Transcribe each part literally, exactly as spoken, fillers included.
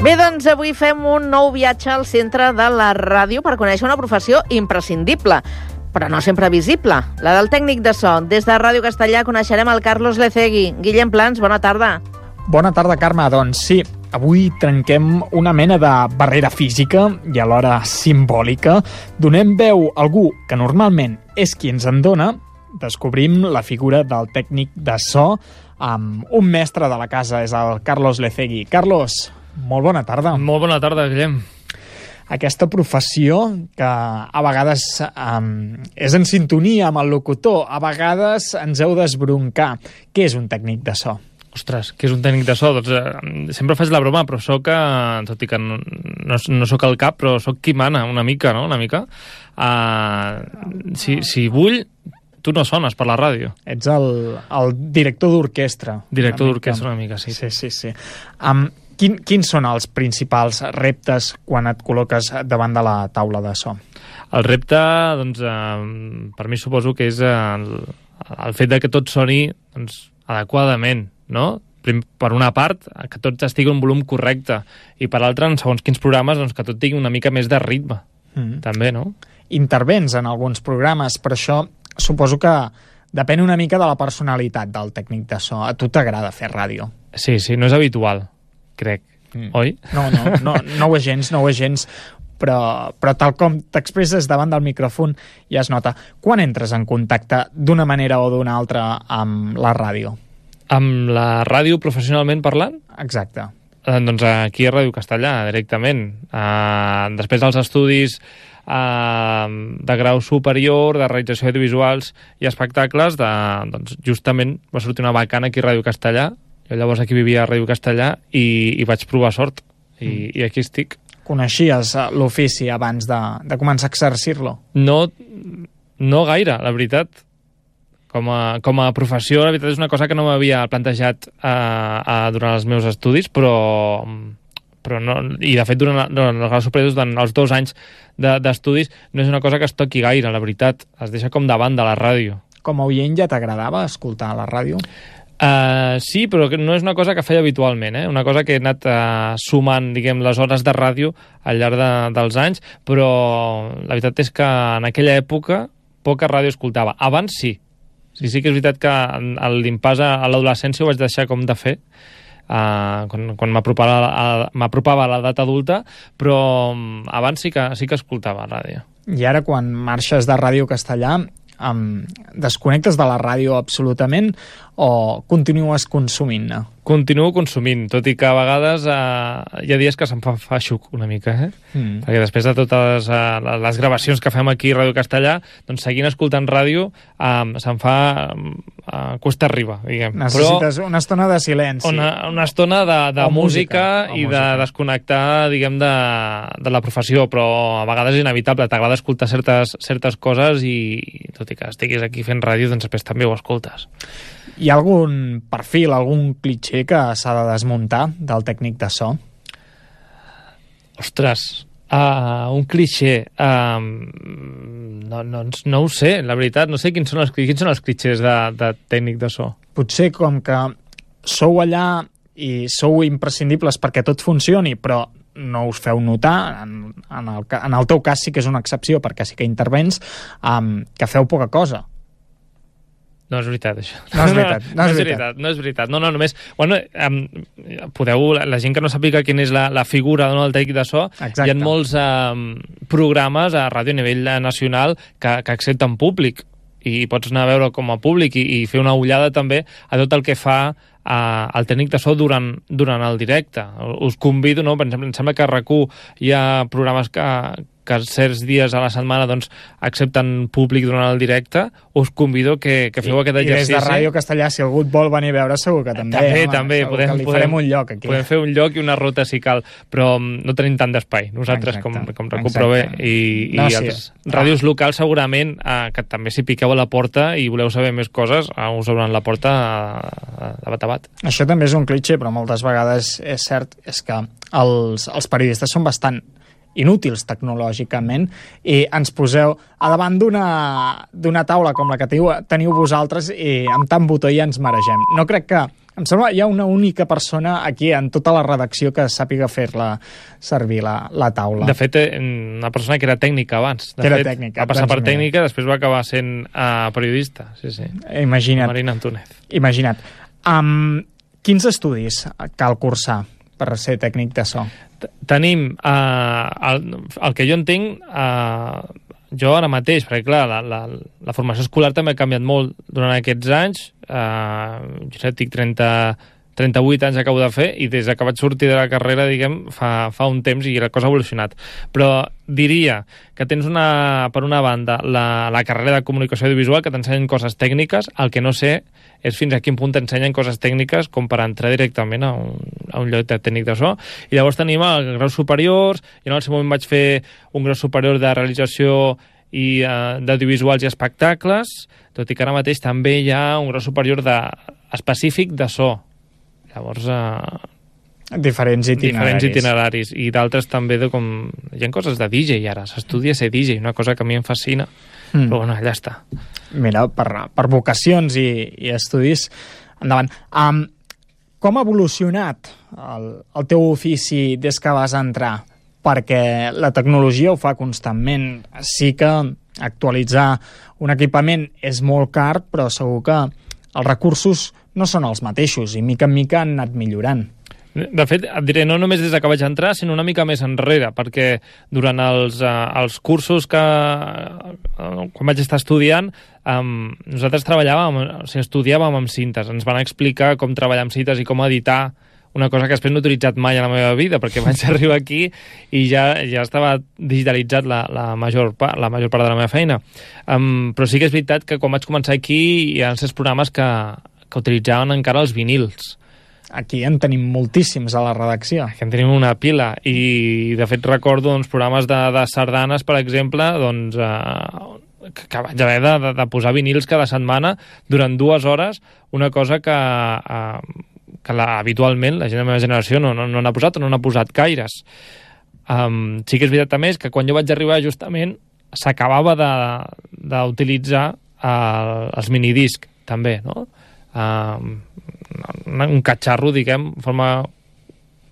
Bé, doncs avui fem un nou viatge al centre de la ràdio per conèixer una professió imprescindible, però no sempre visible, la del tècnic de so. Des de Ràdio Castellà coneixerem el Carlos Lecegui. Guillem Plans, bona tarda. Bona tarda, Carme. Doncs sí, avui trenquem una mena de barrera física i alhora simbòlica. Donem veu a algú que normalment és qui ens en dona. Descobrim la figura del tècnic de so amb un mestre de la casa, és el Carlos Lecegui. Carlos, molt bona tarda. Molt bona tarda, Guillem. Aquesta professió que a vegades um, és en sintonia amb el locutor, a vegades ens heu d'esbroncar. Què és un tècnic de so? Ostres, què és un tècnic de so? Doncs, eh, sempre faig la broma, però soc, eh, tot i que no, no, no soc el cap, però soc qui mana, una mica, no? Una mica. Uh, si, si vull, tu no sones per la ràdio. Ets el, el director d'orquestra. Director d'orquestra, una mica, sí. Sí, sí, sí. Um, quin, quins són els principals reptes quan et col·loques davant de la taula de so? El repte, doncs, eh, per mi suposo que és el, el fet de que tot soni doncs, adequadament, no? Per una part, que tot estigui en un volum correcte, i per l'altra, en segons quins programes, doncs, que tot tingui una mica més de ritme, mm. també, no? Intervens en alguns programes, per això suposo que depèn una mica de la personalitat del tècnic de so. A tu t'agrada fer ràdio? Sí, sí, no és habitual, crec, mm. oi? No, no, no, no ho és gens, no ho és gens, però, però tal com t'expresses davant del micròfon ja es nota. Quan entres en contacte d'una manera o d'una altra amb la ràdio? Amb la ràdio professionalment parlant? Exacte. Eh, doncs aquí a Ràdio Castellà, directament. Eh, després dels estudis eh, de grau superior, de realització audiovisuals i espectacles, de, doncs justament va sortir una vacant aquí a Ràdio Castellà. Jo llavors aquí vivia a Ràdio Castellà i, i vaig provar sort. I, mm. i aquí estic. Coneixies l'ofici abans de, de començar a exercir-lo? No, no gaire, la veritat. Com a, com a professió, la veritat és una cosa que no m'havia plantejat eh, eh, durant els meus estudis, però, però no, i de fet durant, durant els graus superiors, durant els dos anys d'estudis, de, no és una cosa que es toqui gaire, la veritat. Es deixa com davant de la ràdio. Com a oient ja t'agradava escoltar la ràdio? Uh, sí, però no és una cosa que feia habitualment, eh? Una cosa que he anat uh, sumant, diguem, les hores de ràdio al llarg de, dels anys, però la veritat és que en aquella època poca ràdio escoltava. Abans sí. Sí, sí que és veritat que l'impàs a l'adolescència ho vaig deixar com de fer, uh, quan, quan m'apropava a l'edat adulta, però abans sí que, sí que escoltava ràdio. I ara, quan marxes de Ràdio Castellà, um, desconnectes de la ràdio absolutament o continues consumint-ne? Continuo consumint, tot i que a vegades eh, hi ha dies que se'm fa feixuc una mica, eh? Mm. Perquè després de totes eh, les gravacions que fem aquí a Ràdio Castellà, doncs seguint escoltant ràdio eh, se'm fa eh, cuesta arriba, diguem. Necessites Però una estona de silenci. Una, una estona de, de música, música i música. de desconnectar, diguem, de, de la professió, però a vegades és inevitable, t'agrada escoltar certes, certes coses i tot i que estiguis aquí fent ràdio, doncs després també ho escoltes. Hi ha algun perfil, algun clitxé que s'ha de desmuntar del tècnic de so? Ostres, uh, un clitxé... Uh, no, no, no ho sé, la veritat. No sé quins són els, quins són els clitxés de, de tècnic de so. Potser com que sou allà i sou imprescindibles perquè tot funcioni, però no us feu notar, en, en, el, en el teu cas sí que és una excepció perquè sí que intervens, um, que feu poca cosa. No és veritat, això. No és veritat. No, no, és, veritat. no és veritat. No, no, només... Bueno, um, podeu... La gent que no sàpiga quina és la, la figura no, del tècnic de so, exacte. Hi ha molts um, programes a ràdio a nivell nacional que, que accepten públic i pots anar a veure com a públic i, i fer una ullada també a tot el que fa uh, el tècnic de so durant, durant el directe. Us convido, no? Per exemple, em sembla que a RAC u hi ha programes que... que certs dies a la setmana doncs, accepten públic durant el directe, us convido que, que feu I, aquest exercici. I des de Ràdio Castellà, si algú et vol venir a veure, segur que també. També, home, també. Podem, que li podem, farem un lloc aquí. Podem fer un lloc i una ruta si cal, però no tenim tant d'espai, nosaltres, exacte, com, com RAC u, però bé. I, no, i sí. els ràdios locals segurament, eh, que també si piqueu a la porta i voleu saber més coses, eh, us obren la porta eh, de bat a bat. Això també és un clitxé, però moltes vegades és cert, és que els, els periodistes són bastant inútils tecnològicament i ens poseu a davant d'una d'una taula com la que teniu, teniu vosaltres i amb tant botó ja ens maregem. No crec que Em sembla que hi ha una única persona aquí en tota la redacció que sàpiga fer-la servir la, la taula. De fet, una persona que era tècnica abans. De que era fet, tècnica. Va passar doncs per tècnica, després va acabar sent uh, periodista. Sí, sí. Imagina't. Marina Antúnez. Imagina't. Um, quins estudis cal cursar per ser tècnic de so? Tenim, uh, el, el que jo entenc, uh, jo ara mateix, perquè clar, la, la, la formació escolar també ha canviat molt durant aquests anys. Uh, jo sé, tinc trenta, trenta-vuit anys acabo de fer i des que vaig sortir de la carrera, diguem, fa, fa un temps i la cosa ha evolucionat. Però diria que tens una, per una banda la, la carrera de comunicació audiovisual que t'ensenyen coses tècniques, el que no sé és fins a quin punt t'ensenyen coses tècniques com per entrar directament a un, a un lloc de tècnic de so. I llavors tenim els graus superiors, i en el seu moment vaig fer un grau superior de realització i uh, d'audiovisuals i espectacles, tot i que ara mateix també hi ha un grau superior de, específic de so. Llavors, uh, diferents itineraris. Diferents itineraris. I d'altres també de com... Hi ha coses de D J ara, s'estudia ser D J, una cosa que a mi em fascina. Mm. Però bueno, allà està. Mira, per, per vocacions i, i estudis, endavant. Um, com ha evolucionat el, el teu ofici des que vas entrar? Perquè la tecnologia ho fa constantment. Sí que actualitzar un equipament és molt car, però segur que els recursos no són els mateixos i mica en mica han anat millorant. De fet, et diré, no només des que vaig entrar, sinó una mica més enrere, perquè durant els, uh, els cursos que uh, quan vaig estar estudiant, um, nosaltres treballàvem, o sigui, estudiàvem amb cintes. Ens van explicar com treballar amb cintes i com editar, una cosa que després no he utilitzat mai a la meva vida, perquè vaig arribar aquí i ja, ja estava digitalitzat la, la, major part, la major part de la meva feina. Um, però sí que és veritat que quan vaig començar aquí hi ha certs programes que, que utilitzaven encara els vinils. Aquí en tenim moltíssims a la redacció. Aquí en tenim una pila, i de fet recordo doncs, programes de, de sardanes, per exemple, doncs, eh, que, que vaig haver de, de, de posar vinils cada setmana durant dues hores, una cosa que, eh, que la, habitualment la gent de la meva generació no, no, no n'ha posat o no n'ha posat gaires. Um, sí que és veritat també que quan jo vaig arribar justament s'acabava d'utilitzar els minidisc també, no? Um, un catxarro, diguem, en forma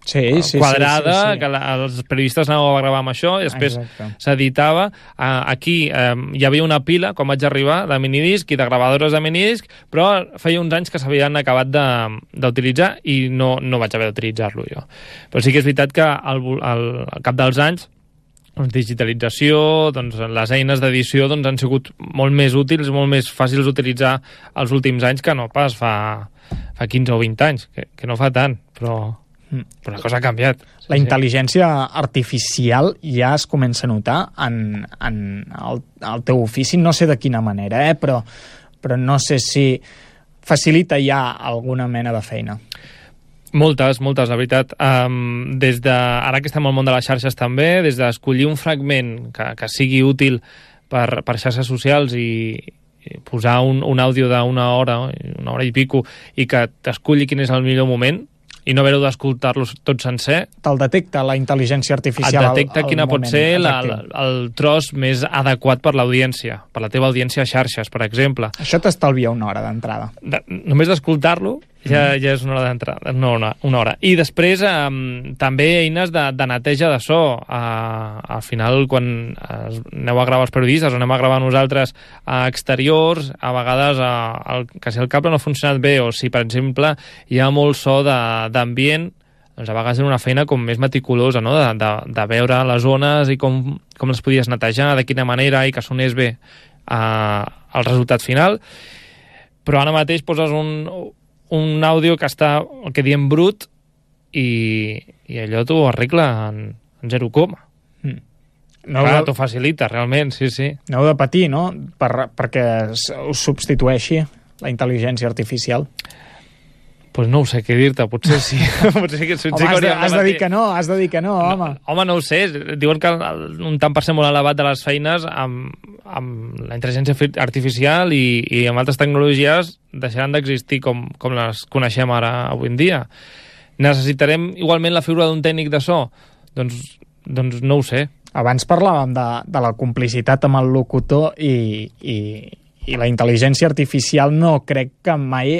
sí, sí, quadrada, sí, sí, sí. que la, els periodistes anàveu a gravar amb això i després s'editava. Uh, aquí uh, hi havia una pila, quan vaig arribar, de minidisc i de gravadores de minidisc, però feia uns anys que s'havien acabat d'utilitzar i no, no vaig haver d'utilitzar-lo jo. Però sí que és veritat que al, al, al cap dels anys doncs, digitalització, doncs, les eines d'edició doncs, han sigut molt més útils, molt més fàcils d'utilitzar els últims anys que no pas fa, fa quinze o vint anys, que, que no fa tant, però, mm. però la cosa ha canviat. La sí, intel·ligència sí. artificial ja es comença a notar en, en el, el teu ofici, no sé de quina manera, eh? però, però no sé si facilita ja alguna mena de feina. Moltes, moltes, la veritat. Um, des de, ara que estem al món de les xarxes també, des d'escollir un fragment que, que sigui útil per, per xarxes socials i, i posar un, un àudio d'una hora, una hora i pico, i que t'esculli quin és el millor moment, i no haver-ho d'escoltar-lo tot sencer. Te'l detecta la intel·ligència artificial. Et detecta quina pot ser la, la, el tros més adequat per l'audiència, per la teva audiència a xarxes, per exemple. Això t'estalvia una hora d'entrada. De, només d'escoltar-lo ja, ja és una hora d'entrada, no una, una hora. I després um, també eines de, de neteja de so. Uh, al final, quan uh, aneu a gravar els periodistes o anem a gravar nosaltres a exteriors, a vegades uh, el, que si el cable no ha funcionat bé o si, per exemple, hi ha molt so de, d'ambient, doncs a vegades és una feina com més meticulosa, no? de, de, de veure les zones i com, com les podies netejar, de quina manera, i que sonés bé uh, el resultat final. Però ara mateix poses un, un àudio que està, el que diem, brut, i, i allò t'ho arregla en, en zero coma. Mm. No Clar, de... t'ho facilita, realment, sí, sí. No heu de patir, no?, per, perquè us substitueixi la intel·ligència artificial. Pues no ho sé què dir-te, potser sí. potser que, home, has, de, has de dir que no, has de dir que no, home. No, home, no ho sé. Diuen que un tant per cent molt elevat de les feines amb, amb la intel·ligència artificial i, i amb altres tecnologies deixaran d'existir com, com les coneixem ara avui en dia. Necessitarem igualment la figura d'un tècnic de so? Doncs, doncs no ho sé. Abans parlàvem de, de la complicitat amb el locutor i, i, i la intel·ligència artificial no crec que mai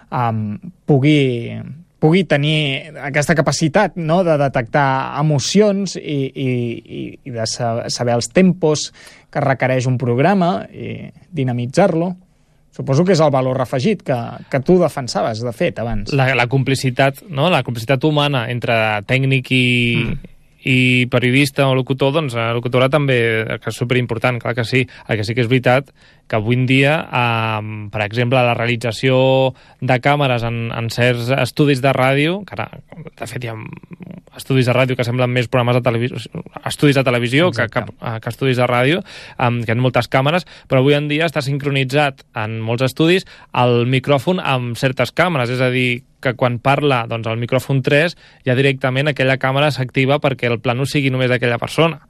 um, pugui, pugui tenir aquesta capacitat, no?, de detectar emocions i, i, i de saber els tempos que requereix un programa i dinamitzar-lo. Suposo que és el valor afegit que, que tu defensaves, de fet, abans. La, la complicitat, no? La complicitat humana entre tècnic i, mm. i periodista o locutor, doncs la locutora també, que és superimportant, clar que sí. El que sí que és veritat que avui en dia, eh, per exemple, la realització de càmeres en, en certs estudis de ràdio, que ara, de fet, hi ha estudis de ràdio que semblen més programes de televisió, estudis de televisió que, que, que estudis de ràdio, um, que hi ha moltes càmeres, però avui en dia està sincronitzat en molts estudis el micròfon amb certes càmeres, és a dir, que quan parla doncs, el micròfon tres, ja directament aquella càmera s'activa perquè el plano sigui només d'aquella persona.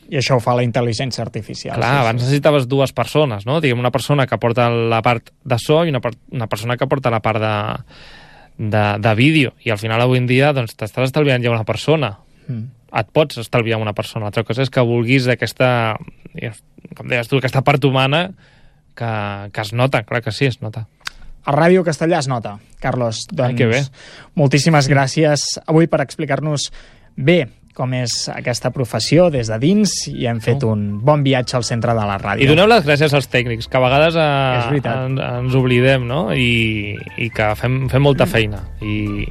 I això ho fa la intel·ligència artificial. Clar, sí, abans sí. necessitaves dues persones, no? Diguem, una persona que porta la part de so i una, una persona que porta la part de, de, de vídeo. I al final, avui en dia, doncs, t'estàs estalviant ja una persona. Mm. Et pots estalviar una persona. L'altra cosa és que vulguis aquesta, com deies tu, aquesta part humana que, que es nota. Clar que sí, es nota. A Ràdio Castellà es nota, Carlos. Doncs, Ai, que bé. Moltíssimes gràcies avui per explicar-nos bé com és aquesta professió des de dins, i hem fet oh. un bon viatge al centre de la ràdio. I doneu les gràcies als tècnics, que a vegades eh, en, ens oblidem, no? I, i que fem, fem molta feina. I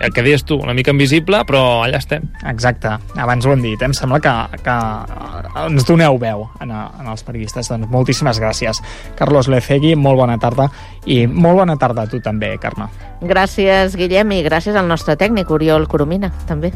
el que deies tu, una mica invisible, però allà estem. Exacte, abans ho hem dit, em sembla que, que ens doneu veu en, en els periodistes. Doncs moltíssimes gràcies. Carlos Lecegui, molt bona tarda, i molt bona tarda a tu també, Carme. Gràcies, Guillem, i gràcies al nostre tècnic, Oriol Coromina, també.